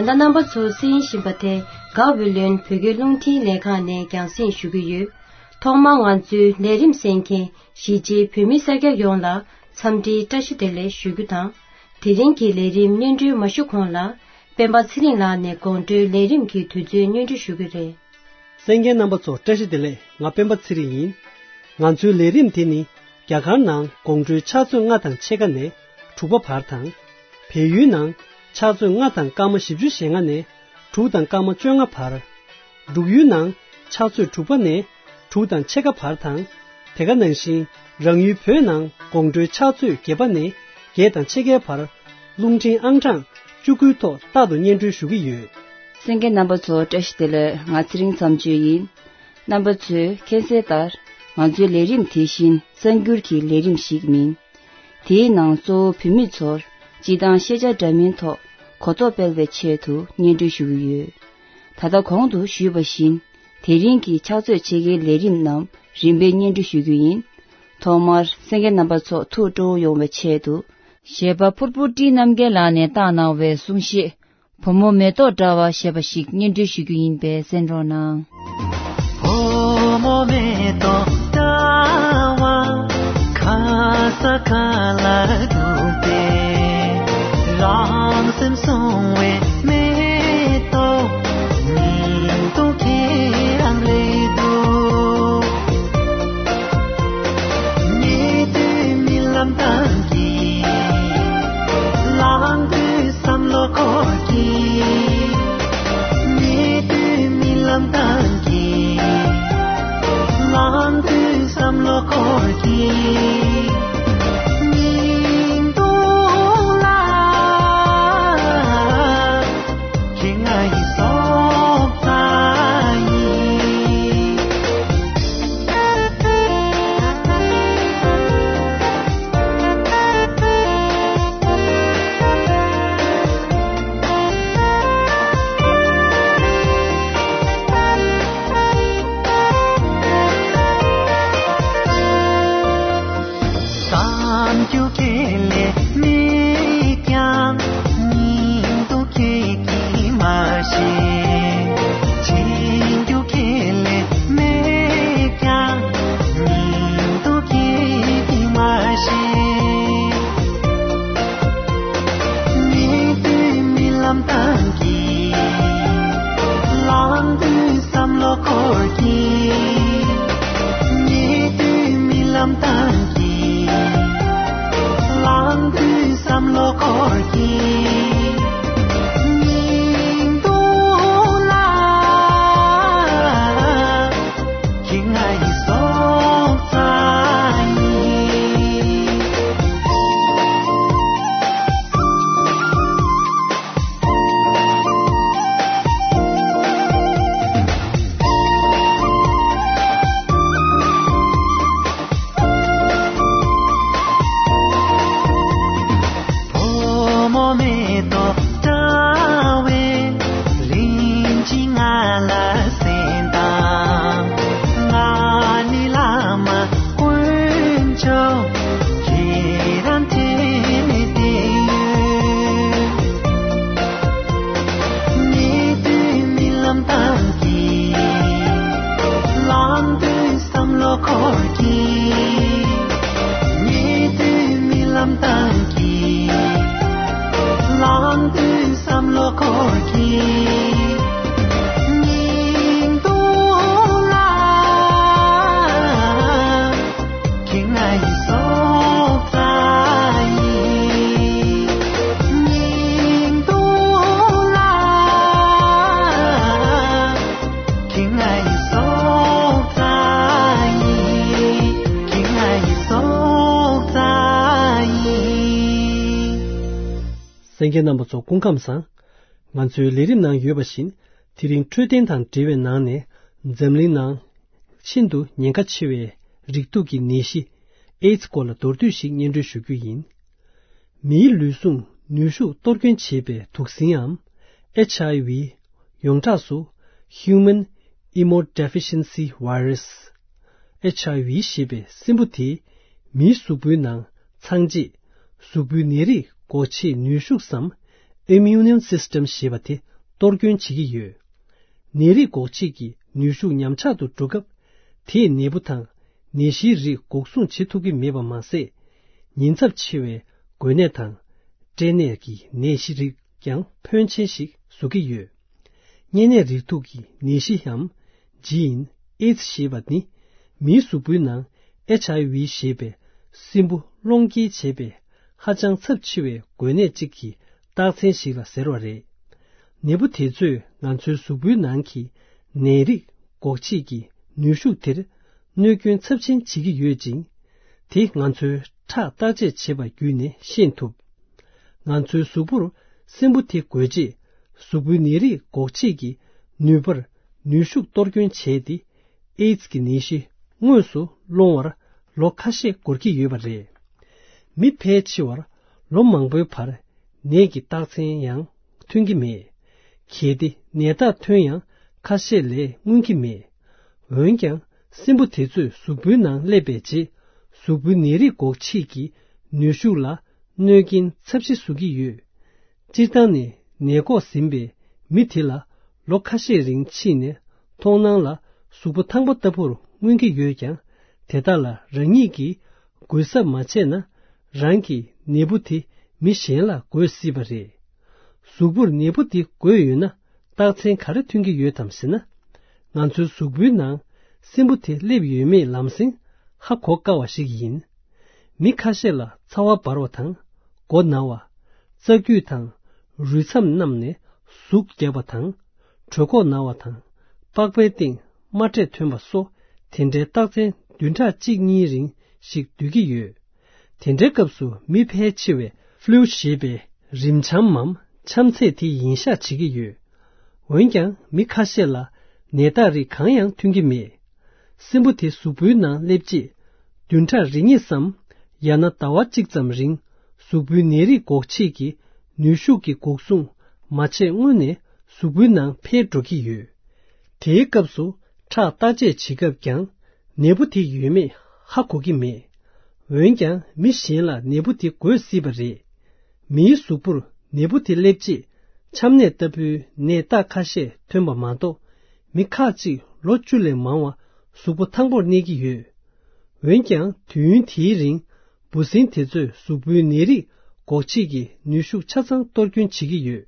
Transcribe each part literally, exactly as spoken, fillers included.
ད་ལྟ་རྣམ་པ་ཚོ་གསན་བཞིན་པ་དེ་དགའ་བོད་ལོན་བོད་སྐད་རླུང་འཕྲིན་ལས་ཁང་ནས་རྒྱང་སྲིང་ཞུ་གི་ཡོད། ཐོག་མར་ང་ཚོའི་ལས་རིམ་གསན་མཁན་གཞིས་བྱེས་བོད་མི་སེར་སྐྱ་ཡོངས་ལ་འཚམས་འདྲིའི་བཀྲ་ཤིས་བདེ་ལེགས་ཞུ་རྒྱུ་དང་། དེ་རིང་གི་ལས་རིམ་སྙན་སྒྲོན་མ་ཞུ་གོང་ལ། སྤེན་པ་ཚེ་རིང་ལགས་ནས་དགོང་དྲོའི་ལས་རིམ་གྱི་དུས་ཚོད་སྙན་སྒྲོན་ཞུ་གི་རེད། གསན་མཁན་རྣམ་པ་ཚོ་བཀྲ་ཤིས་བདེ་ལེགས། ང་སྤེན་པ་ཚེ་རིང་ཡིན། ང་ཚོའི་ལས་རིམ་དེ་ནི་རྒྱ་གར་ནང་དགོང་དྲོའི་ཕྱག་ཚོད་ལྔ་དང་ཕྱེད་ཀ་ནས་དྲུག་པ་བར་དང་། བལ་ཡུལ་ནང་ཕྱག་ཚོད་ལྔ་དང་སྐར་མ་བཞི་བཅུ་ཞེ་ལྔ་ནས་དྲུག་དང་སྐར་མ་བཅོ་ལྔ་བར། འབྲུག་ཡུལ་ནང་ཕྱག་ཚོད་དྲུག་པ་ནས་དྲུག་དང་ཕྱེད་ཀ་བར་དང་། དེ་ག་ནང་བཞིན་རང་ཡུལ་བོད་ནང་དགོང་དྲོའི་ཕྱག་ཚོད་བརྒྱད་པ་ནས་བརྒྱད་དང་ཕྱེད་ཀའི་བར། རླུང་འཕྲིན་ཨང་གྲངས་བཅུ་དགུའི་ཐོག་རྟག་ཏུ་སྙན་སྒྲོན་ཞུ་གི་ཡོད། གསན་མཁན་རྣམ་པ་ཚོ་བཀྲ་ཤིས་བདེ་ལེགས། ང་ཚེ་རིང་མཚམས་གཅོད་ཡིན། རྣམ་པ་ཚོས་མཁྱེན་གསལ་ལྟར། ང་ཚོའི་ལས་རིམ་དེ་བཞིན་གསར་འགྱུར་གྱི་ལས་རིམ་ཞིག་མིན། དེའི་ནང་གཙོ་བོ་བོད་མི་ཚོར་སྤྱི་བཏང་ཤེས་བྱ་འདྲ་མིན་ཐོག་གོ་རྟོགས་སྤེལ་བའི་ཆེད་དུ་སྙན་སྒྲོན་ཞུ་གི་ཡོད། ད་ལྟ་གོང་དུ་ཞུས་པ་བཞིན། དེ་རིང་གི་ཕྱག་ཚོད་ཕྱེད་ཀའི་ལས་རིམ་རྣམས་རིམ་པས་སྙན་སྒྲོན་ཞུ་རྒྱུ་ཡིན། ཐོག་མར་གསན་མཁན་རྣམ་པ་ཚོ་ཐུགས་སྤྲོ་བོ་ཡོང་བའི་ཆེད་དུ། གཞས་པ་ཕུར་བུ་བཀྲིས་རྣམ་རྒྱལ་ལགས་ནས་བཏང་གནང་བའི་གསུང་གཞས། བུ་མོ་མེ་ཏོག་འདྲ་བ་ཞེས་པ་ཞིག་སྙན་སྒྲོན་ཞུ་རྒྱུ་ཡིན་པས་གསན་རོགས་གནང་། བུ་མོ་མེ་ཏོག་འདྲ་བ་ཁ་ས་ཁ་ལ་འདུག་པས། རང་སེམས་སྲུང་བའི་མེ་ཏོག་ཉིད་དུ་ཁྱེད་རང་རེད་འདུག། ཉེ་དུས་རྨི་ལམ་བཏང་གི། ལངས་དུས་བསམ་བློ་འཁོར་གྱིས། ཉེ་དུས་རྨི་ལམ་བཏང་གི། ལངས་དུས་བསམ་བློ་འཁོར་གྱིས། སྙིང་སྡུག་ལ། ཁྱེད་ང་ཡི་སྲོག་རྩ་ཡིན། བསམ་རྒྱུ་ཁེ་ལས་མེད་ཀྱང་། སྙིང་སྡུག་ཁེ་གིས་མ་ཤེས། འཆི་རྒྱུ་ཁེ་ལས་མེད་ཀྱང་། སྙིང་སྡུག་ཁེ་གིས་མ་ཤེས། ཉེ་དུས་རྨི་ལམ་བཏང་གི། ལངས་དུས་བསམ་བློ་འཁོར་གྱི། ཉེ་དུས་རྨི་ལམ་བཏང་གི། ལངས་དུས་བསམ་བློ་འཁོར་གྱི། སྙིང་སྡུག་ལ། ཁྱེད་ང་ཡི་སྲོག་རྩ་ཡིན། བུ་མོ་མེ་ཏོག་འདྲ་བའི་ལིང་ཅི་ང་ལ་གསན་དང་། ང་ནི་བླ་མ་དཀོན་མཆོག་ཁྱེད་རང་འཕྲིན་ལས་དེ་ཡོད། ཉེ་དུས་རྨི་ལམ་བཏང་གི། ལངས་དུས་བསམ་བློ་འཁོར་གྱི། ཉེ་དུས་རྨི་ལམ་བཏང་གི། ལངས་དུས་བསམ་བློ་འཁོར་གྱི། སྙིང་སྡུག་ལ། ཁྱེད་ང་ཡི་སྲོག་རྩ་ཡིན། སྙིང་སྡུག་ལ། ཁྱེད་ང་ཡི་སྲོག་རྩ་ཡིན། ཁྱེད་ང་ཡི་སྲོག་རྩ་ཡིན། གསན་མཁན་རྣམ་པ་ཚོ་སྐུ་ཁམས་བཟང་། ང་ཚོའི་ལས་རིམ་ནང་ཡོད་པ་བཞིན། དེ་རིང་འཕྲོད་བསྟེན་དང་འབྲེལ་བའི་ནང་ནས། འཛམ་གླིང་ནང་ཤིན་ཏུ་ཉེན་ཁ་ཆེ་བའི་རེག་དུག་གི་ནད་གཞི་ཨེ་ཛི་སྐོར་ལ་མདོར་བསྡུས་ཤིག་སྙན་སྒྲོན་ཞུ་རྒྱུ་ཡིན། མིའི་ལུས་ཟུངས་ནུས་ཤུགས་གཏོར་སྐྱོན་བྱེད་པའི་དུག་སྲིན་འམ། ཨེཆ་ཨའི་ཝི། ཡོངས་གྲགས་སུ་Human Immunodeficiency Virus། ཨེཆ་ཨའི་ཝི་ཞེས་པའི་སྲིན་འབུ་དེས་མིའི་གཟུགས་པོའི་ནང་ཚང་རྗེས་གཟུགས་པོའི་ནད་རིགས་འགོག་བྱེད་ནུས་ཤུགས་སམ། Immune System ཞེས་པ་དེ་ གཏོར་སྐྱོན་བྱེད་ཀྱི་ཡོད། ནད་རིགས་འགོག་བྱེད་ཀྱི་ནུས་ཤུགས་ཉམས་ཆག་ཏུ་འགྲོ་སྐབས། དེས་ནད་འབུ་དང་ནད་གཞིའི་རིགས་འགོག་སྲུང་བྱེད་ཐུབ་ཀྱི་མེད་པ་མ་ཟད། ཉེན་ཚབས་ཆེ་བའི་འགོས་ནད་དང་། སྐྲན་ནད་ཀྱི་ནད་གཞི་རིགས་ཀྱང་ཕོན་ཆེན་ཞིག་བཟོ་གི་ཡོད། གཉན་ནད་རིགས་དྲུག་གི་ནད་གཞིའམ་ཇི་ཨིན་ཨེ་ཛི་ཞེས་པ་ནི། མིའི་གཟུགས་པོའི་ནང་ཨེཆ་ཨའི་ཝི་ཞེས་པའི་སྲིན་འབུ་སློང་སྐྱེལ་བྱེད་པའི་ཧ་ཅང་ཚབས་ཆེ་བའི་འགོས་ནད་ཅིག་གི་རྟགས་མཚན་ཞིག་ལ་ཟེར་བ་རེད། ནད་འབུ་དེ་ཚོས་ང་ཚོའི་གཟུགས་པོའི་ནང་གི་ནད་རིགས་འགོག་བྱེད་ཀྱི་ནུས་ཤུགས་དེར་གནོད་སྐྱོན་ཚབས་ཆེན་བྱེད་ཀྱི་ཡོད་ཅིང་། དེ་ང་ཚོའི་ཁྲག་བརྟག་དཔྱད་བྱེད་པ་བརྒྱུད་ནས་ཤེས་ཐུབ། ང་ཚོའི་གཟུགས་པོར་སྲིན་འབུ་དེ་འགོས་རྗེས། གཟུགས་པོའི་ནད་རིགས་འགོག་བྱེད་ཀྱི་ནུས་པར་ནུས་ཤུགས་གཏོར་སྐྱོན་བྱས་ཏེ། ཨེ་ཛི་གི་ནད་གཞི་དངོས་སུ་སློང་བར་ལོ་ཁ་ཤས་འགོར་གྱི་ཡོད་པ་རེད། མི་ཕལ་ཆེ་བར་ལོ་མང་པོའི་བར་ནད་ཀྱི་རྟགས་མཚན་ཡང་ཐོན་གྱི་མེད། གལ་ཏེ་ནད་རྟགས་ཐོན་ཡང་ཁ་ཤས་ལས་མངོན་གྱི་མེད། འོན་ཀྱང་སྲིན་འབུ་དེ་ཚོས་གཟུགས་པོའི་ནང་སླེབས་པའི་རྗེས། གཟུགས་པོའི་ནད་རིགས་འགོག་བྱེད་ཀྱི་ནུས་ཤུགས་ལ་གནོད་རྐྱེན་ཚབས་ཆེ་བཟོ་གི་ཡོད། སྤྱིར་བཏང་ནས་ནད་འགོག་ཟིན་པའི་མི་དེ་ལ་ལོ་ཁ་ཤས་རིང་ཕྱིན་ནས། མཐོང་སྣང་ལ་གཟུགས་པོ་ཐང་པ་ལྟ་བུར་མངོན་གྱི་ཡོད་ཀྱང་། དེ་དག་ལ་རང་ཉིད་ཀྱིས་འགོས་གཟབ་མ་བྱས་ན། རང་གི་ནད་འབུ་དེ་མི་གཞན་ལ་འགོས་སྲིད་པ་རེད། གཟུགས་པོར་ནད་འབུ་དེ་འགོས་ཡོད་ན། རྟགས་མཚན་ག་རེ་ཐོན་གྱི་ཡོད་དམ་ཟེར་ན། ང་ཚོའི་གཟུགས་པོའི་ནང་སྲིན་འབུ་དེ་སླེབས་ཡོད་མེད་ལམ་སེང་ཧ་གོ་དཀའ་བ་ཞིག་ཡིན། མི་ཁ་ཤས་ལ་ཚ་བ་འབར་བ་དང་། མགོ་ན་བ། རྩ་རྒྱུས་དང་། རུས་མཚམས་རྣམས་ནས་ཟུག་རྒྱག་པ་དང་། གྲོད་ཁོག་ན་བ་དང་། པགས་པའི་སྟེང་རྨ་འབྲས་ཐོན་པ་སོགས། དེ་འདྲའི་རྟགས་མཚན་བདུན་ཕྲག་གཅིག་གཉིས་རིང་ཞིག་སྡོད་ཀྱི་ཡོད། དེ་འདྲའི་སྐབས་སུ་མི་ཕལ་ཆེ་བས་ཕླུ་ཞེས་པའི་རིམས་ཆམ་མམ་ཆམ་ཚད་དེ་ཡིན་ཤག་བྱེད་ཀྱི་ཡོད། འོན་ཀྱང་མི་ཁ་ཤས་ལ་ནད་རྟགས་རིགས་གང་ཡང་ཐོན་གྱི་མེད། སྲིན་འབུ་དེ་གཟུགས་པོའི་ནང་སླེབས་རྗེས། བདུན་ཕྲག་རེ་གཉིས་སམ། ཡང་ན་ཟླ་བ་གཅིག་ཙམ་རིང་། གཟུགས་པོའི་ནད་རིགས་འགོག་བྱེད་ཀྱི་ནུས་ཤུགས་ཀྱི་འགོག་སྲུང་མ་བྱས་སྔོན་ནས་གཟུགས་པོའི་ནང་འཕེལ་འགྲོ་གི་ཡོད། དེའི་སྐབས་སུ་ཁྲག་བརྟག་དཔྱད་བྱེད་སྐབས་ཀྱང་། ནད་འབུ་དེ་ཡོད་མེད་ཧ་གོ་གི་མེད། འོན་ཀྱང་མི་གཞན་ལ་ནད་འབུ་དེ་འགོས་སྲིད་པ་རེད། མིའི་གཟུགས་པོར་ནད་འབུ་དེ་སླེབས་རྗེས། ཆམ་ནད་ལྟ་བུའི་ནད་རྟགས་ཁ་ཤས་ཐོན་པ་མ་གཏོགས། མི་ཁག་ཅིག་ལོ་བཅུ་ལས་མང་བ་གཟུགས་པོ་ཐང་པོར་གནས་ཀྱི་ཡོད། འོན་ཀྱང་དུས་ཡུན་དེའི་རིང་། འབུ་སྲིན་དེ་ཚོས་གཟུགས་པོའི་ནད་རིགས་འགོག་བྱེད་ཀྱི་ནུས་ཤུགས་ཆ་ཚང་གཏོར་སྐྱོན་བྱེད་ཀྱི་ཡོད།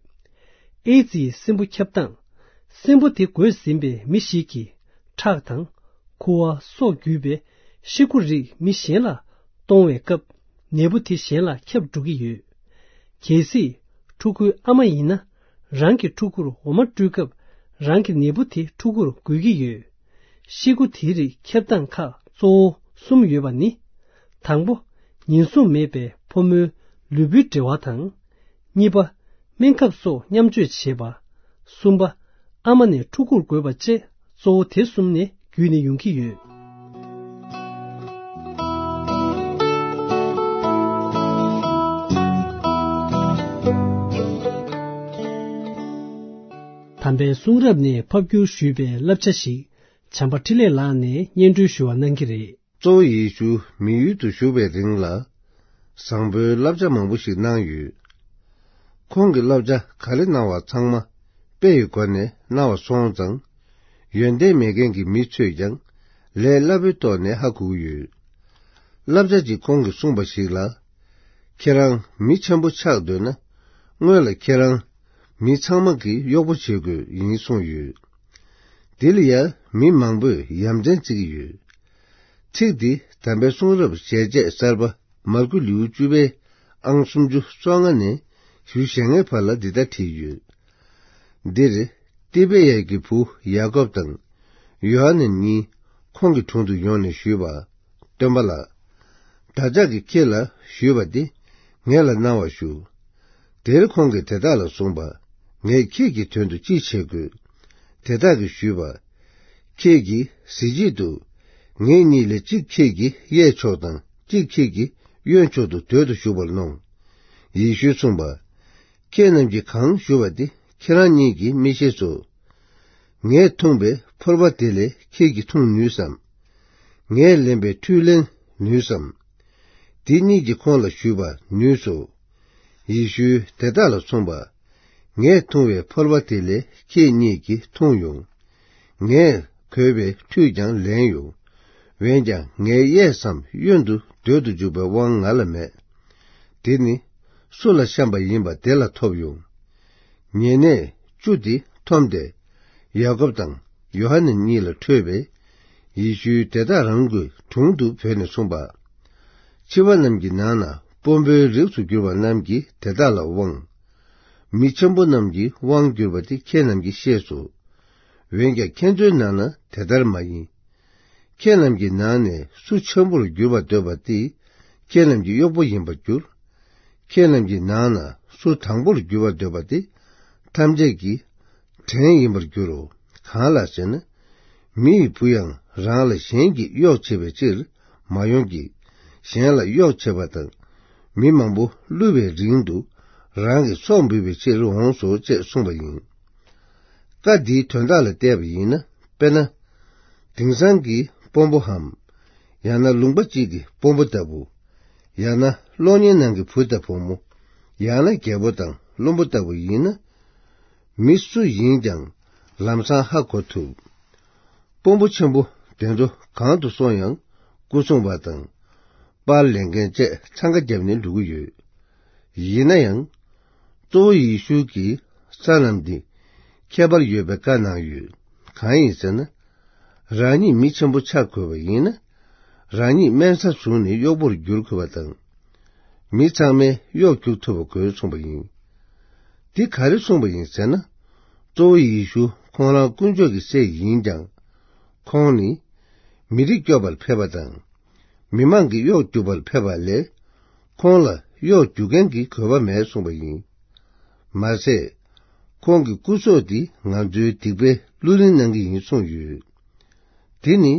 ཨེ་ཛི་ཡི་སྲིན་འབུ་ཁྱབ་སྟངས། སྲིན་འབུ་དེ་འགོས་ཟིན་པའི་མི་ཞིག་གི་ཁྲག་དང་། ཁུ་བ་སོགས་བརྒྱུད་པའི་ཤི་ཁུ་རིགས་མི་གཞན་ལ་གཏོང་བའི་སྐབས། ནད་འབུ་དེ་གཞན་ལ་ཁྱབ་འགྲོ་གི་ཡོད། གལ་སྲིད་ཕྲུ་གུའི་ཨ་མ་ཡིན་ན། རང་གི་ཕྲུ་གུར་འོ་མ་སྤྲུལ་སྐབས། རང་གི་ནད་འབུ་དེ་ཕྲུ་གུར་འགོས་ཀྱི་ཡོད། ཤི་ཁུ་དེའི་རིགས་ཁྱབ་སྟངས་ཁག་གཙོ་བོ་གསུམ་ཡོད་པ་ནི། དང་པོ། ཉེན་སྲུང་མེད་པའི་ཕོ་མོའི་ལུས་པོའི་འབྲེལ་བ་དང་། གཉིས་པ། སྨན་ཁབ་སོགས་མཉམ་སྤྱོད་བྱེད་པ། གསུམ་པ། ཨ་མ་ནས་ཕྲུ་གུར་འགོས་པ་བཅས་གཙོ་བོ་དེ་གསུམ་ནས་བརྒྱུད་ནས་ཡོང་གི་ཡོད། དམ་པའི་གསུང་རབ་ནས་ཕབ་བསྒྱུར་ཞུས་པའི་བསླབ་བྱ་ཞིག་བྱམས་པ་འཕྲིན་ལས་ལགས་ནས་སྙན་སྒྲོན་ཞུ་བ་གནང་གི་རེད། གཙོ་བོ་ཡེ་ཤུ་མི་ཡུལ་དུ་བཞུགས་པའི་རིང་ལ། བཟང་པོའི་བསླབ་བྱ་མང་པོ་ཞིག་གནང་ཡོད། ཁོང་གི་བསླབ་བྱ་ག་རེ་གནང་བ་ཚང་མ་དཔེ་ཡི་སྒོ་ནས་གནང་བ་སོང་ཙང་། ཡོན་ཏན་མེད་མཁན་གྱི་མི་ཚོས་ཀྱང་ལས་སླ་པོའི་ཐོག་ནས་ཧ་གོ་གི་ཡོད། བསླབ་བྱ་གཅིག་ཁོང་གིས་གསུངས་པ་ཞིག་ལ། ཁྱེད་རང་མི་ཆེན་པོ་ཆགས་འདོད་ན། སྔོན་ལ་ཁྱེད་རང་མི་ཚང་མ་གི་གཡོག་པོ་བྱེད་དགོས་ཡིན་གསུངས་ཡོད། དེ་ལ་ཡང་མི་མང་པོས་ཡ་མཚན་བརྩི་གི་ཡོད། ཚིག་འདི་དམ་པའི་གསུང་རབ་ཞལ་ཆད་གསར་པ་མར་ཁུ་ལེའུ་བཅུ་པའི་ཨང་སུམ་ཅུ་སོ་ལྔ་ནས་བཞི་བཅུ་ཞེ་ལྔའི་བར་ལ་འདི་ལྟར་བྲིས་ཡོད། འདིར་ཏི་བེ་ཡ་གི་བུ་ཡ་ཀོབ་དང་ཡོ་ཧ་ནན་གཉིས་ཁོང་གི་དྲུང་དུ་ཡོང་ནས་ཞུས་པ། སྟོན་པ་ལགས། བདག་ཅག་གིས་ཁྱེད་ལ་ཞུས་པ་འདི་ངེད་ལ་གནང་བར་ཞུ། དེར་ཁོང་གིས་དེ་དག་ལ་གསུངས་པ། ངས་ཁྱེད་ཀྱི་དོན་དུ་ཅི་བྱེད་དགོས། དེ་དག་གིས་ཞུས་པ། ཁྱེད་ཀྱིས་གཟི་བརྗིད་དུ། ངེད་གཉིས་ལས་གཅིག་ཁྱེད་ཀྱི་གཡས་ཕྱོགས་དང་གཅིག་ཁྱེད་ཀྱི་གཡོན་ཕྱོགས་སུ་སྡོད་དུ་བཞུགས་པར་གནོང་། ཡེ་ཤུས་གསུངས་པ། ཁྱེད་རྣམས་ཀྱིས་གང་ཞུ་བ་དེ་ཁྱེད་རང་ཉིད་ཀྱིས་མི་ཤེས་སོ། ངས་འཐུང་བའི་ཕོར་པ་དེ་ལས་ཁྱེད་ཀྱིས་འཐུང་ནུས་སམ། ངས་ལེན་པའི་ཁྲུས་ལེན་ནུས་སམ། དེ་གཉིས་ཀྱིས་ཁོང་ལ་ཞུས་པ། ནུས་སོ། ཡེ་ཤུས་དེ་དག་ལ་གསུངས་པ། ངས་འཐུང་བའི་ཕོར་པ་དེ་ལས་ཁྱེད་གཉིས་ཀྱིས་འཐུང་ཡོང་། ངས་གོས་པའི་ཁྲུས་ཀྱང་ལེན་ཡོང་། འོན་ཀྱང་ངའི་གཡས་སམ་གཡོན་དུ་སྡོད་དུ་འཇུག་པའི་དབང་ང་ལ་མེད། དེ་ནི་སུ་ལ་བཤམས་པ་ཡིན་པ་དེ་ལ་ཐོབ་ཡོང་། ཉེ་གནས་བཅུ་དེ་འཐོམས་ཏེ་ཡ་ཀོབ་དང་ཡོ་ཧ་ནན་གཉིས་ལ་ཁྲོས་པས། ཡེ་ཤུའི་དེ་དག་རང་གི་དྲུང་དུ་བོས་ནས་གསུངས་པ། འཆི་བ་རྣམས་ཀྱི་ནང་ན་དཔོན་པོའི་རིགས་སུ་གྱུར་པ་རྣམས་ཀྱིས་དེ་དག་ལ་དབང་། མི་འཆམ་པོ་རྣམས་ཀྱིས་དབང་བསྒྱུར་བ་དེ་ཁྱེད་རྣམས་ཀྱིས་ཤེས་སོ། འོན་ཀྱང་ཁྱེད་ཚོའི་ནང་ན་དེ་ལྟར་མ་ཡིན། ཁྱེད་རྣམས་ཀྱི་ནང་ནས་སུ་འཆམ་པོར་འགྱུར་བར་འདོད་པ་དེ་ཁྱེད་རྣམས་ཀྱི་གཡོག་པོ་ཡིན་པར་འགྱུར། ཁྱེད་རྣམས་ཀྱི་ནང་ན་སུ་དང་པོར་འགྱུར་བར་འདོད་པ་དེ་ཐམས་ཅད་ཀྱི་བྲན་ཡིན་པར་འགྱུར་རོ། གང་ལགས་ཟེར་ན། མི་ཡི་བུ་ཡང་རང་ལ་གཞན་གྱིས་གཡོག་བྱེད་པའི་ཕྱིར་མ་ཡོང་གི། གཞན་ལ་གཡོག་བྱེད་པ་དང་། མི་མང་པོ་བསླུ་བའི་རིན་དུ་རང་གི་སྲོག་འབུལ་བའི་ཕྱིར་འོངས་སོ་ཅེས་གསུངས་པ་ཡིན། བཀའ་འདིའི་དོན་དག་ལ་བལྟས་པ་ཡིན་ན། དཔེར་ན། དེང་སང་གི་དཔོན་པོའམ། ཡང་ན་ལུང་པ་གཅིག་གི་དཔོན་པོ་ལྟ་བུ། ཡང་ན་གློག་བརྙན་ནང་གི་བུ་དང་བུ་མོ། ཡང་ན་རྒྱལ་པོ་དང་བློན་པོ་ལྟ་བུ་ཡིན་ན། མི་སུ་ཡིན་ཀྱང་ལམ་སང་ཧ་གོ་ཐུབ། དཔོན་པོ་ཆེན་པོ་དེ་ཚོ་གང་དུ་སོང་ཡང་སྐུ་སྲུང་བ་དང་། པར་ལེན་མཁན་བཅས་འཚང་ཁ་བརྒྱབ་ནས་འགྲོ་གི་ཡོད། ཡིན་ན་ཡང་། གཙོ་བོ་ཡེ་ཤུ་གིས་ས་ལམ་འདི་ཁྱད་པར་ཡོད་པའི་བཀའ་གནང་ཡོད། གང་ཡིན་ཟེར་ན། རང་ཉིད་མི་ཆེན་པོ་ཆགས་དགོས་པ་ཡིན་ན། རང་ཉིད་དམན་ས་བཟུང་ནས་གཡོག་པོར་འགྱུར་དགོས་པ་དང་། མི་ཚང་མས་གཡོག་རྒྱུག་ཐུབ་པ་དགོས་གསུངས་པ་ཡིན། འདི་ག་རེ་གསུངས་པ་ཡིན་ཟེར་ན། གཙོ་བོ་ཡེ་ཤུ་ཁོང་རང་དཀོན་མཆོག་གི་སྲས་ཡིན་ཀྱང་། ཁོང་ནི་མི་རིགས་སྐྱོབ་པར་ཕེབས་པ་དང་། མི་མང་གི་གཡོག་རྒྱུག་པར་ཕེབས་པ་ལས། ཁོང་ལ་གཡོག་རྒྱུག་མཁན་གྱི་དགོས་པ་མེད་གསུངས་པ་ཡིན། མ་ཟད། ཁོང་གི་སྐུ་སྲོག་འདི་ང་ཚོའི་སྡིག་པའི་བླུ་ལེན་གནང་གི་ཡིན་གསུངས་ཡོད། དེ་ནི་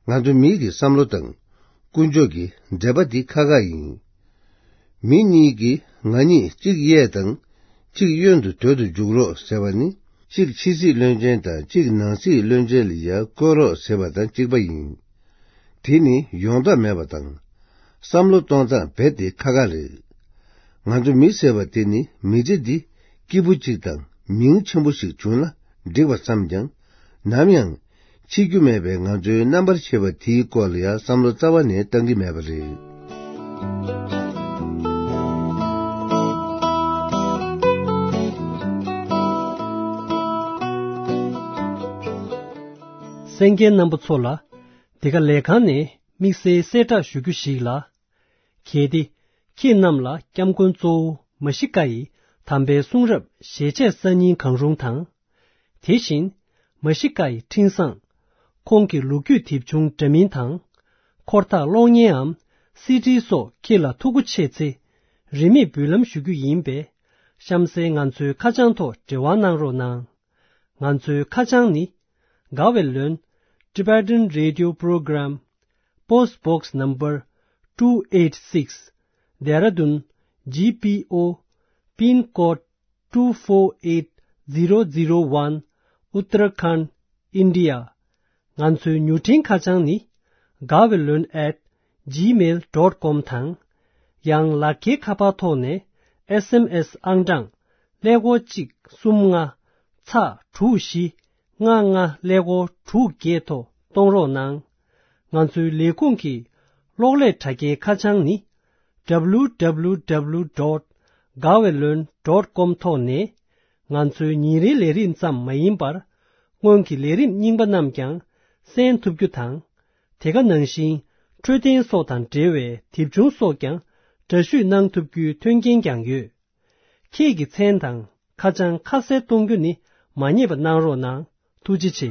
ང་ཚོ་མིའི་གི་བསམ་བློ་དང་དཀོན་མཆོག་གི་འབྲེལ་པ་འདི་ཁ་ཁ་ཡིན། མི་གཉིས་ཀྱིས་ང་གཉིས་གཅིག་གཡས་དང་གཅིག་གཡོན་དུ་སྡོད་དུ་འཇུག་རོགས་ཟེར་བ་ནི། གཅིག་ཕྱི་སྲིད་བློན་ཆེན་དང་གཅིག་ནང་སྲིད་བློན་ཆེན་ལ་ཡར་བསྐོ་རོགས་ཟེར་བ་དང་གཅིག་པ་ཡིན། དེ་ནི་ཡོང་ཐབས་མེད་པ་དང་། བསམ་བློ་གཏོང་སྟངས་རྦད་དེ་ཁ་ཁ་རེད། ང་ཚོ་མི་ཟེར་བ་དེ་ནི་མི་ཚེ་འདི་སྐྱིད་པོ་གཅིག་དང་མིང་ཆེན་པོ་ཞིག་བྱུང་ན་འགྲིག་པ་བསམ་ཀྱང་། ནམ་ཡང་འཆི་རྒྱུ་མེད་པའི་ང་ཚོའི་རྣམ་པར་ཤེས་པ་དེའི་སྐོར་ལ་ཡང་བསམ་བློ་རྩ་བ་ནས་གཏང་གི་མེད་པ་རེད། གསན་མཁན་རྣམ་པ་ཚོ་ལ། འདི་ག་ལས་ཁང་ནས་དམིགས་བསལ་གསལ་བསྒྲགས་ཞུ་རྒྱུ་ཞིག་ལ། གལ་ཏེ། ཁྱེད་རྣམས་ལ་སྐྱབས་མགོན་གཙོ་བོ་མ་ཤི་ཀ་ཡི་དམ་པའི་གསུང་རབ་ཞལ་ཆད་གསར་རྙིང་གང་རུང་དང་། དེ་བཞིན། མ་ཤི་ཀ་ཡི་འཕྲིན་བཟང་། ཁོང་གི་ལོ་རྒྱུས་དེབ་ཆུང་འདྲ་མིན་དང་། འཁོར་ཐག་གློག་བརྙནའམ་སི་ཌི་སོགས་ཁྱེད་ལ་ཐུགས་མཁོ་ཆེ་ཚེ། རིན་མེད་འབུལ་ལམ་ཞུ་རྒྱུ་ཡིན་པས། གཤམ་གསལ་ང་ཚོའི་ཁ་བྱང་ཐོག་འབྲེལ་བ་གནང་རོགས་གནང་། ང་ཚོའི་ཁ་བྱང་ནི། དགའ་བའི་ལོན། Tibetan Radio Program། Post Box Number two eight six། Dehradun G P O། Pin Code two four eight zero zero one། Uttarakhand། India། ང་ཚོའི་མྱུར་འཕྲིན་ཁ་བྱང་ནི། དགའ་བའི་ལོན་at gmail dot com དང་། ཡང་ལག་འཁྱེར་ཁ་པར་ཐོག་ནས་S M S ཨང་གྲངས་ཀླད་ཀོར་གཅིག་གསུམ་ལྔ་ཚག་དྲུག་བཞི་ལྔ་ལྔ་ཀླད་ཀོར་དྲུག་བརྒྱད་ཐོག་གཏོང་རོགས་གནང་། ང་ཚོའི་ལས་ཁུངས་ཀྱི་གློག་ཀླད་དྲ་རྒྱའི་ཁ་བྱང་ནི། W W W dot gaweloan dot com ཐོག་ནས། ང་ཚོའི་ཉིན་རེའི་ལས་རིམ་ཙམ་མ་ཡིན་པར། སྔོན་གྱི་ལས་རིམ་རྙིང་པ་རྣམས་ཀྱང་གསན་ཐུབ་རྒྱུ་དང་། དེ་ག་ནང་བཞིན་འཕྲོད་བསྟེན་སོགས་དང་འབྲེལ་བའི་དེབ་ཆུང་སོགས་ཀྱང་འདྲ་བཤུས་གནང་ཐུབ་རྒྱུའི་མཐུན་རྐྱེན་ཀྱང་ཡོད། ཁྱེད་ཀྱི་མཚན་དང་ཁ་བྱང་ཁ་གསལ་གཏོང་རྒྱུ་ནི་མ་བསྙེལ་བ་གནང་རོགས་གནང་། ཐུགས་རྗེ་ཆེ།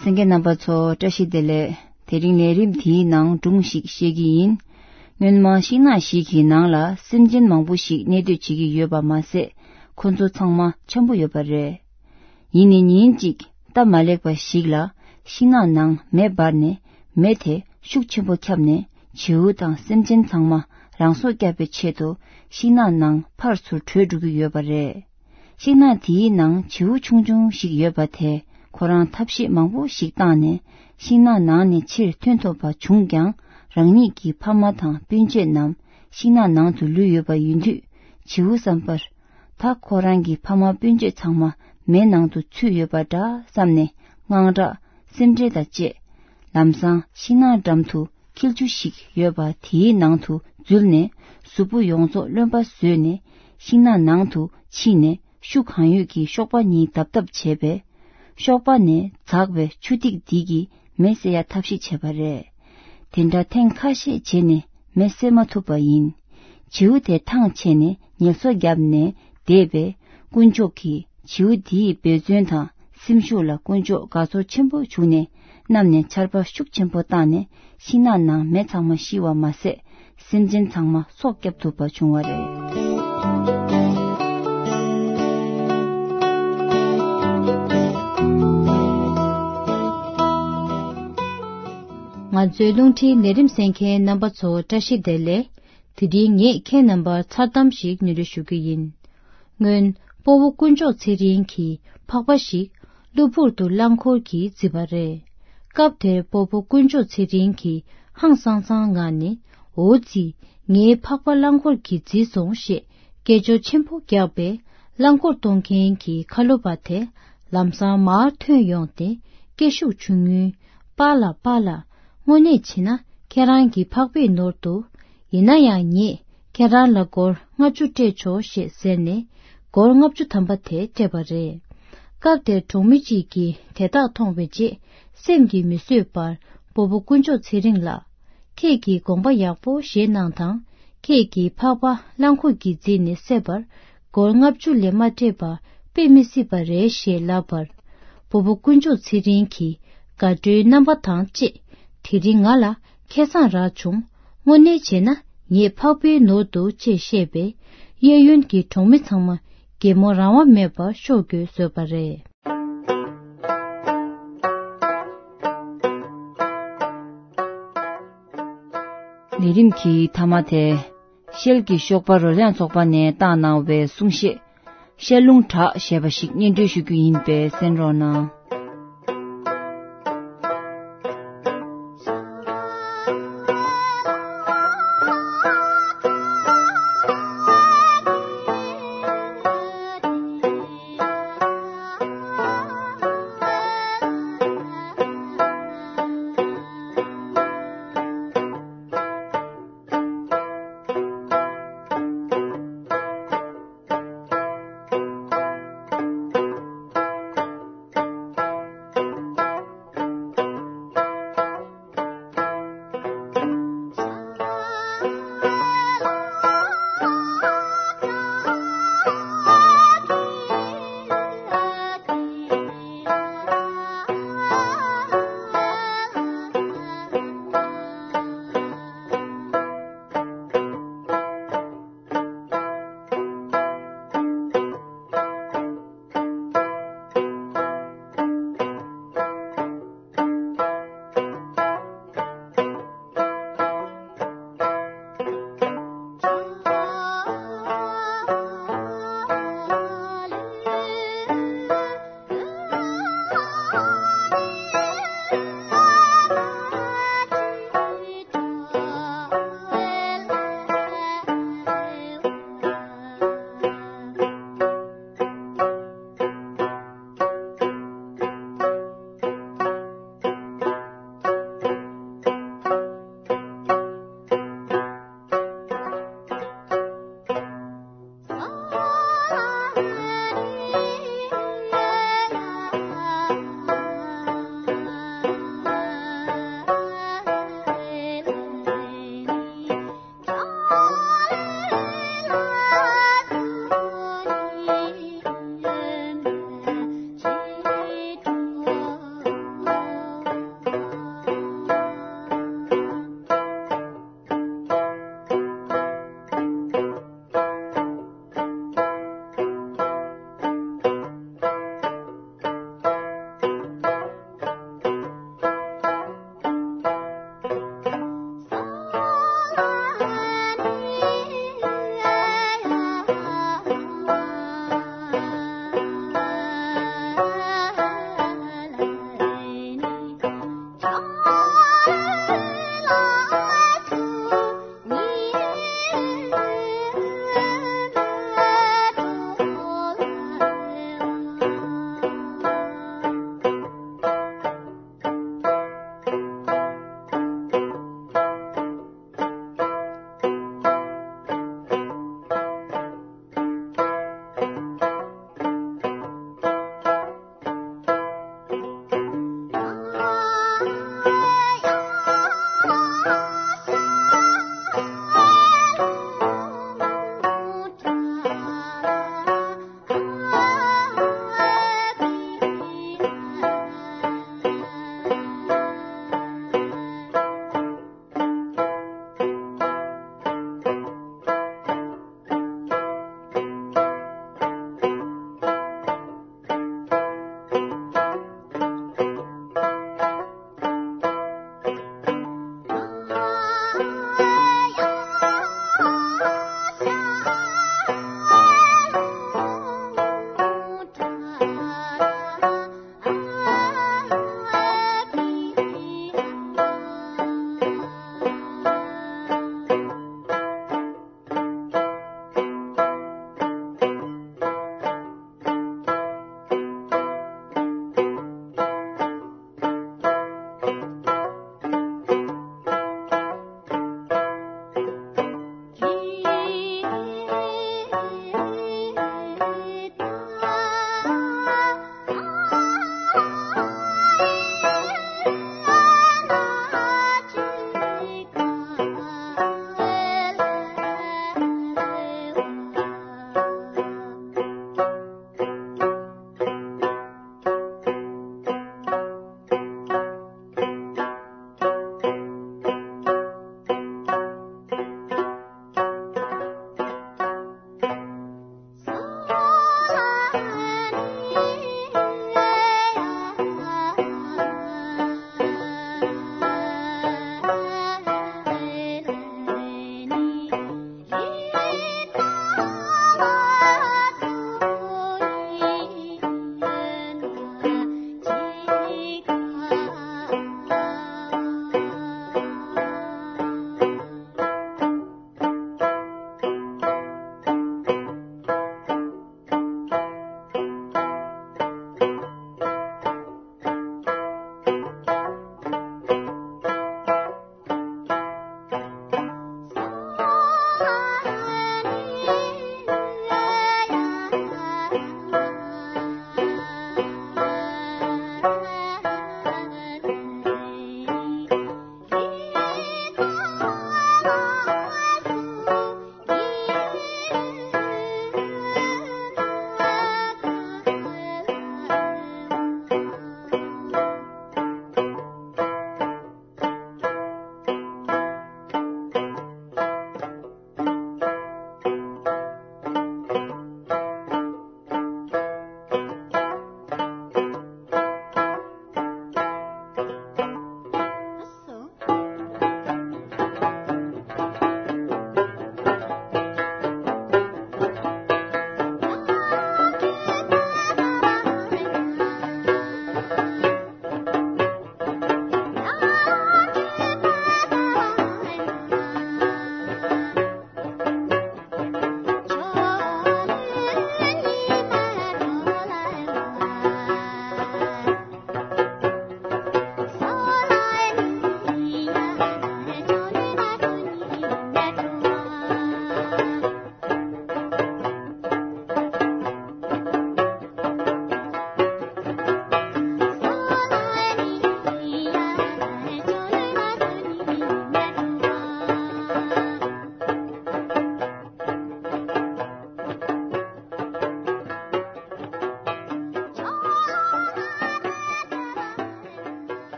གསན་མཁན་རྣམ་པ་ཚོ། བཀྲ་ཤིས་བདེ་ལེགས། དེ་རིང་ལས་རིམ་དེའི་ནང་སྒྲུང་ཞིག་བཤད་ཀྱི་ཡིན། སྔོན་མ་ཤིང་ནགས་ཤིག་གི་ནང་ལ་སེམས་ཅན་མང་པོ་ཞིག་གནས་སྡོད་བྱེད་ཀྱི་ཡོད་པ་མ་ཟད། ཁོ་ཚོ་ཚང་མ་འཆམ་པོ་ཡོད་པ་རེད། ཡིན་ནའི་ཉིན་གཅིག་སྟབས་མ་ལེགས་པ་ཞིག་ལ། ཤིང་ནགས་ནང་མེ་འབར་ནས། མེ་དེ་ཤུགས་ཆེན་པོ་ཁྱབ་ནས། བྱིའུ་དང་སེམས་ཅན་ཚང་མ་རང་སྲོག་བསྐྱབ་པའི་ཆེད་དུ། ཤིང་ནགས་ནང་ཕར་ཚུར་བྲོས་འགྲོ་གི་ཡོད་པ་རེད། ཤིང་ནགས་དེའི་ནང་བྱིའུ་ཆུང་ཆུང་ཞིག་ཡོད་པ་དེ། ཁོ་རང་ཐབས་ཤེས་མང་པོ་ཞིག་བཏང་ནས་ཤིང་ནགས་ནང་ནས་ཕྱིར་ཐོན་ཐུབ་པ་བྱུང་ཀྱང་། རང་ཉིད་ཀྱི་ཕ་མ་དང་སྤུན་མཆེད་རྣམས་ཤིང་ནགས་ནང་དུ་ལུས་ཡོད་པ་ཡིན་དུས། བྱིའུ་བསམ་པར། ད་ཁོ་རང་གི་ཕ་མ་སྤུན་མཆེད་ཚང་མ་མེ་ནང་དུ་ཚུད་ཡོད་པ་འདྲ་བསམ་ནས་དངངས་སྐྲག་སེམས་ཁྲལ་དང་བཅས། ལམ་སང་ཤིང་ནགས་འགྲམ་དུ་འཁྱིལ་ཆུ་ཞིག་ཡོད་པ་དེའི་ནང་དུ་འཛུལ་ནས། གཟུགས་པོ་ཡོངས་རྫོགས་རློན་པ་བཟོས་ནས་ཤིང་ནགས་ནང་དུ་ཕྱིན་ནས། ཤུགས་གང་ཡོད་ཀྱིས་གཤོག་པ་གཉིས་བརྡབ་བརྡབ་བྱས་པས། གཤོག་པ་ནས་འཛག་པའི་ཆུ་ཐིགས་འདི་གིས་མེ་བསད་ཡ་ཐབས་ཤེས་བྱས་པ་རེད། དེ་འདྲ་ཐེངས་ཁ་ཤས་བྱས་ནས་མེ་བསད་མ་ཐུབ་པ་ཡིན། བྱིའུ་དེ་ཐང་ཆད་ནས་ངལ་གསོ་བརྒྱབ་ནས་བསྡད་པས། དཀོན་མཆོག་གིས་བྱིའུ་འདིའི་འབད་བརྩོན་དང་སེམས་ཤུགས་ལ་དཀོན་མཆོག་དགའ་ཚོར་ཆེན་པོ་བྱུང་ནས། གནམ་ནས་ཆར་པ་ཤུགས་ཆེན་པོ་བཏང་ནས་ཤིང་ནགས་ནང་མེ་ཚང་མ་ཤི་བ་མ་ཟད། སེམས་ཅན་ཚང་མ་སྲོག་སྐྱབས་ཐུབ་པ་བྱུང་བ་རེད། ང་ཚོའི་རླུང་འཕྲིན་ལས་རིམ་གསན་མཁན་རྣམ་པ་ཚོ་བཀྲ་ཤིས་བདེ་ལེགས། དེ་རིང་ངས་ཁྱེད་རྣམ་པར་མཚར་གཏམ་ཞིག་སྙན་སྒྲོན་ཞུ་རྒྱུ་ཡིན། སྔོན་སྤོ་བོ་དཀོན་མཆོག་ཚེ་རིང་གིས་ཕག་པ་ཞིག་གློ་བུར་དུ་རླངས་འཁོར་གྱིས་བརྫིས་པ་རེད། སྐབས་དེར་སྤོ་བོ་དཀོན་མཆོག་ཚེ་རིང་གིས་ཧང་སང་སང་ངང་ནས། འོ་ཙི། ངའི་ཕག་པ་རླངས་འཁོར་གྱིས་བརྫིས་སོང་ཞེས་སྐད་ཅོར་ཆེན་པོ་བརྒྱབ་པས། རླངས་འཁོར་གཏོང་མཁན་གྱི་ཁ་ལོ་པ་དེ་ལམ་སང་མར་ཐོན་ཡོང་སྟེ། སྐད་ཤུགས་ཆུང་ངུས། པཱ་ལགས། པཱ་ལགས། དངོས་གནས་བྱས་ན་ཁྱེད་རང་གི་ཕག་པའི་ནོར་འདུག་ཡིན་ན་ཡང་ངས་ཁྱེད་རང་ལ་སྒོར་ལྔ་བཅུ་སྤྲད་ཆོག་ཞེས་ཟེར་ནས། སྒོར་ལྔ་བཅུ་ཐམ་པ་དེ་སྤྲད་པ་རེད། སྐབས་དེར་གྲོང་མི་གཅིག་གིས་དེ་དག་མཐོང་བའི་རྗེས། སེམས་ཀྱིས་མི་བཟོད་པར་སྤོ་བོ་དཀོན་མཆོག་ཚེ་རིང་ལགས། ཁྱེད་ཀྱིས་དགོངས་པ་ཡག་པོ་བཞེས་གནང་དང་། ཁྱེད་ཀྱི་ཕག་པ་རླངས་འཁོར་གྱིས་བརྫིས་ནས་བསད་པར། སྒོར་ལྔ་བཅུ་ལས་མ་སྤྲད་པ་དཔེ་མི་སྲིད་པ་རེད་ཞེས་ལབ་པར། སྤོ་བོ་དཀོན་མཆོག་ཚེ་རིང་གིས་དགའ་སྤྲོའི་རྣམ་པ་དང་བཅས། དེ་རིང་ང་ལ་ཁེ་བཟང་རག་བྱུང་། དངོས་གནས་བྱས་ན་ངའི་ཕག་པའི་ནོར་འདུག་ཅེས་བཤད་པས། གཡས་གཡོན་གྱི་གྲོང་མི་ཚང་མ་གད་མོ་རང་དབང་མེད་པར་ཤོར་དགོས་བཟོས་པ་རེད། ལས་རིམ་གྱི་མཐའ་མ་དེ། ཤེལ་གྱི་གཤོག་པ་རོལ་དབྱངས་ཚོགས་པ་ནས་བཏང་གནང་བའི་གསུང་བཤད། ཤེལ་རླུང་གྲགས་ཞེས་པ་ཞིག་སྙན་སྒྲོན་ཞུ་རྒྱུ་ཡིན་པས་གསན་རོགས་གནང་།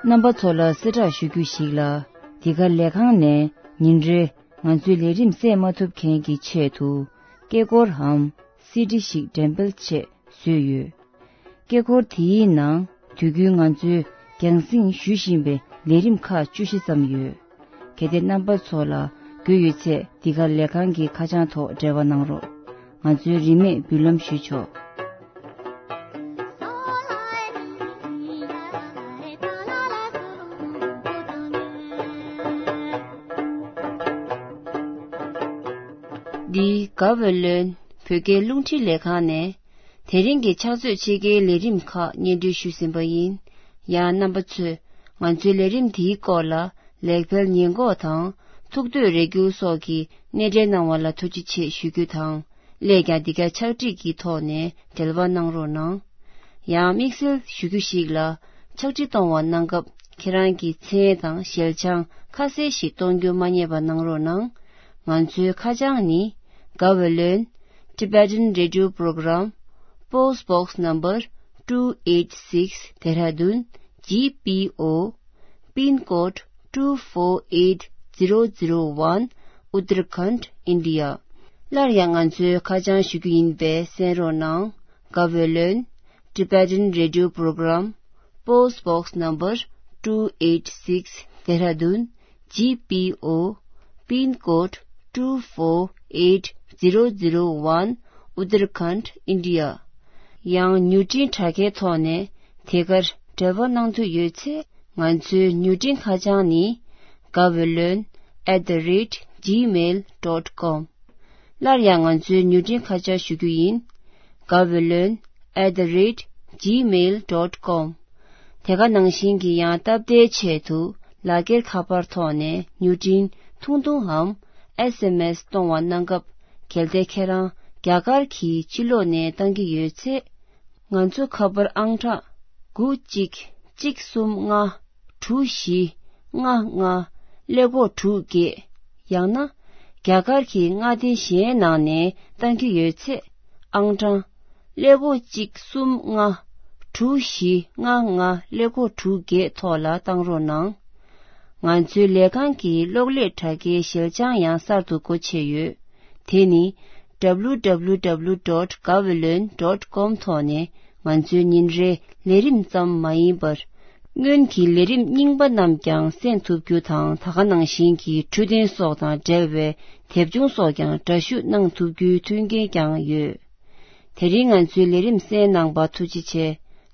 རྣམ་པ་ཚོ་ལ་གསལ་བསྒྲགས་ཞུ་རྒྱུ་ཞིག་ལ། འདི་ག་ལས་ཁང་ནས་ཉིན་རེ་ང་ཚོའི་ལས་རིམ་གསན་མ་ཐུབ་མཁན་གྱི་ཆེད་དུ། སྐད་འཁོར་འམ་སི་ཌི་ཞིག་འགྲེམས་སྤེལ་ཆེད་བཟོས་ཡོད། སྐད་འཁོར་དེའི་ནང་དུས་རྒྱུན་ང་ཚོས་རྒྱང་སྲིང་ཞུ་བཞིན་པའི་ལས་རིམ་ཁག་བཅུ་བཞི་ཙམ་ཡོད། གལ་ཏེ་རྣམ་པ་ཚོ་ལ་དགོས་ཡོད་ཚེ། འདི་ག་ལས་ཁང་གི་ཁ་བྱང་ཐོག་འབྲེལ་བ་གནང་རོགས། ང་ཚོའི་རིན་མེད་འབུལ་ལམ་ཞུས་ཆོག། འདི་ག་བོད་ལོན་བོད་སྐད་རླུང་འཕྲིན་ལས་ཁང་ནས། དེ་རིང་གི་ཕྱག་ཚོད་ཕྱེད་ཀའི་ལས་རིམ་ཁག་སྙན་སྒྲོན་ཞུས་ཟིན་པ་ཡིན། ཡང་རྣམ་པ་ཚོས་ང་ཚོའི་ལས་རིམ་འདིའི་སྐོར་ལ་ལེགས་སྤེལ་ཉེས་འགོག་དང་ཐུགས་འདོད་རེ་སྐྱེལ་སོགས་ཀྱི་སྣེ་འདྲེན་གནང་བ་ལ་ཐུགས་རྗེ་ཆེ་ཞུ་རྒྱུ་དང་། སླད་ཀྱང་འདི་ག་ཕྱག་བྲིས་ཀྱི་ཐོག་ནས་འབྲེལ་བ་གནང་རོགས་གནང་། ཡང་དམིགས་བསལ་ཞུ་རྒྱུ་ཞིག་ལ། ཕྱག་བྲིས་གཏོང་བ་གནང་སྐབས་ཁྱེད་རང་གི་མཚན་དང་ཞལ་བྱང་ཁ་གསལ་ཞིག་གཏོང་རྒྱུ་མ་བསྙེལ་བ་གནང་རོགས་གནང་། ང་ཚོའི་ཁ་བྱང་ནི། Gaweylon Tibetan Radio Program, Post Box Number two eight six, Dehradun, G P O, Pin Code two four eight zero zero one, Uttarakhand, India. སླར་ཡང་ང་ཚོའི་ཁ་བྱང་ཞུ་རྒྱུ་ཡིན་པས་གསན་རོགས་གནང་། Gaweylon Tibetan Radio Program, Post Box Number two eight six, Dehradun, G P O, Pin Code two four eight zero zero one, Uttarakhand, India. ཡང་མྱུར་འཕྲིན་དྲ་རྒྱའི་ཐོག་ནས་དེ་གར་འབྲེལ་བ་གནང་འདོད་ཡོད་ཚེ། ང་ཚོའི་མྱུར་འཕྲིན་ཁ་བྱང་ནི། Gaweylon at the rate gmail dot com. སླར་ཡང་ང་ཚོའི་མྱུར་འཕྲིན་ཁ་བྱང་ཞུ་རྒྱུ་ཡིན། Gaweylon at the rate gmail dot com. དེ་ག་ནང་བཞིན་གྱི་ཡང་སྟབས་བདེའི་ཆེད་དུ་ལག་འཁྱེར་ཁ་པར་ཐོག་ནས་མྱུར་འཕྲིན་ཐུང་ཐུང་འམ་ཨེས་ཨེམ་ཨེས་གཏོང་བ་གནང་སྐབས། གལ་ཏེ་ཁྱེད་རང་རྒྱ་གར་གྱི་ཕྱི་ལོགས་ནས་བཏང་གི་ཡོད་ཚེ། ང་ཚོ་ཁ་པར་ཨང་གྲངས་དགུ་གཅིག་གཅིག་གསུམ་ལྔ་དྲུག་བཞི་ལྔ་ལྔ་ཀླད་ཀོར་དྲུག་བརྒྱད། ཡང་ན་རྒྱ་གར་གྱི་མངའ་སྡེ་གཞན་ནང་ནས་བཏང་གི་ཡོད་ཚེ། ཨང་གྲངས་ཀླད་ཀོར་གཅིག་གསུམ་ལྔ་དྲུག་བཞི་ལྔ་ལྔ་ཀླད་ཀོར་དྲུག་བརྒྱད་ཐོག་ལ་བཏང་རོགས་གནང་། ང་ཚོའི་ལས་ཁང་གི་གློག་ཀླད་དྲ་རྒྱའི་ཞལ་བྱང་ཡང་གསར་དུ་སྒོ་ཕྱེ་ཡོད། དེ་ནི། W W W dot gaweylon dot com ཐོག་ནས་ང་ཚོའི་ཉིན་རེའི་ལས་རིམ་ཙམ་མ་ཡིན་པར། སྔོན་གྱི་ལས་རིམ་རྙིང་པ་རྣམས་ཀྱང་གསན་ཐུབ་རྒྱུ་དང་། ད་ག་ནང་བཞིན་གྱི་འཕྲོད་བསྟེན་སོགས་དང་འབྲེལ་བའི་དེབ་ཆུང་སོགས་ཀྱང་འདྲ་བཤུས་གནང་ཐུབ་རྒྱུའི་མཐུན་རྐྱེན་ཀྱང་ཡོད། དེ་རིང་ང་ཚོའི་ལས་རིམ་གསན་གནང་པ་ཐུགས་རྗེ་ཆེ།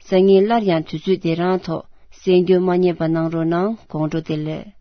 སང་ཉིན་སླར་ཡང་དུས་ཚོད་འདི་རང་ཐོག་གསན་རྒྱུ་མ་བསྙེལ་བ་གནང་རོགས་གནང་། དགོང་དྲོ་བདེ་ལེགས།